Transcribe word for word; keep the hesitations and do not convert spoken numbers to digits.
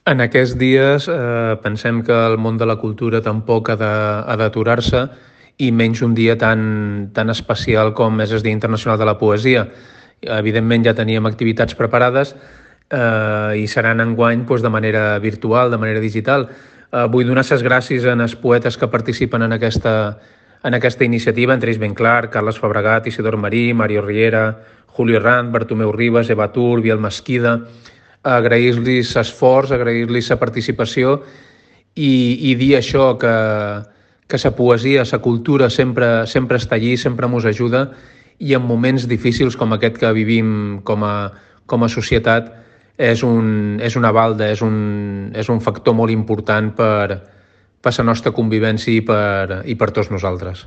En aquests dies eh, pensem que el món de la cultura tampoc ha de- ha d'aturar-se i menys un dia tan, tan especial com és el Dia Internacional de la Poesia. Evidentment ja teníem activitats preparades eh, i seran enguany doncs, de manera virtual, de manera digital. Eh, vull donar les gràcies als poetes que participen en aquesta, en aquesta iniciativa, entre ells ben clar, Carles Fabregat, Isidor Marí, Mario Riera, Julio Rand, Bartomeu Ribas, Eva Tur, Biel Mesquida, agrair-los l'esforç, agrair-los la participació i, i dir això, que, que la poesia, la cultura sempre, sempre està allí, sempre ens ajuda i en moments difícils com aquest que vivim com a, com a societat és, un, és una balda, és un, és un factor molt important per, per la nostra convivència i per, i per tots nosaltres.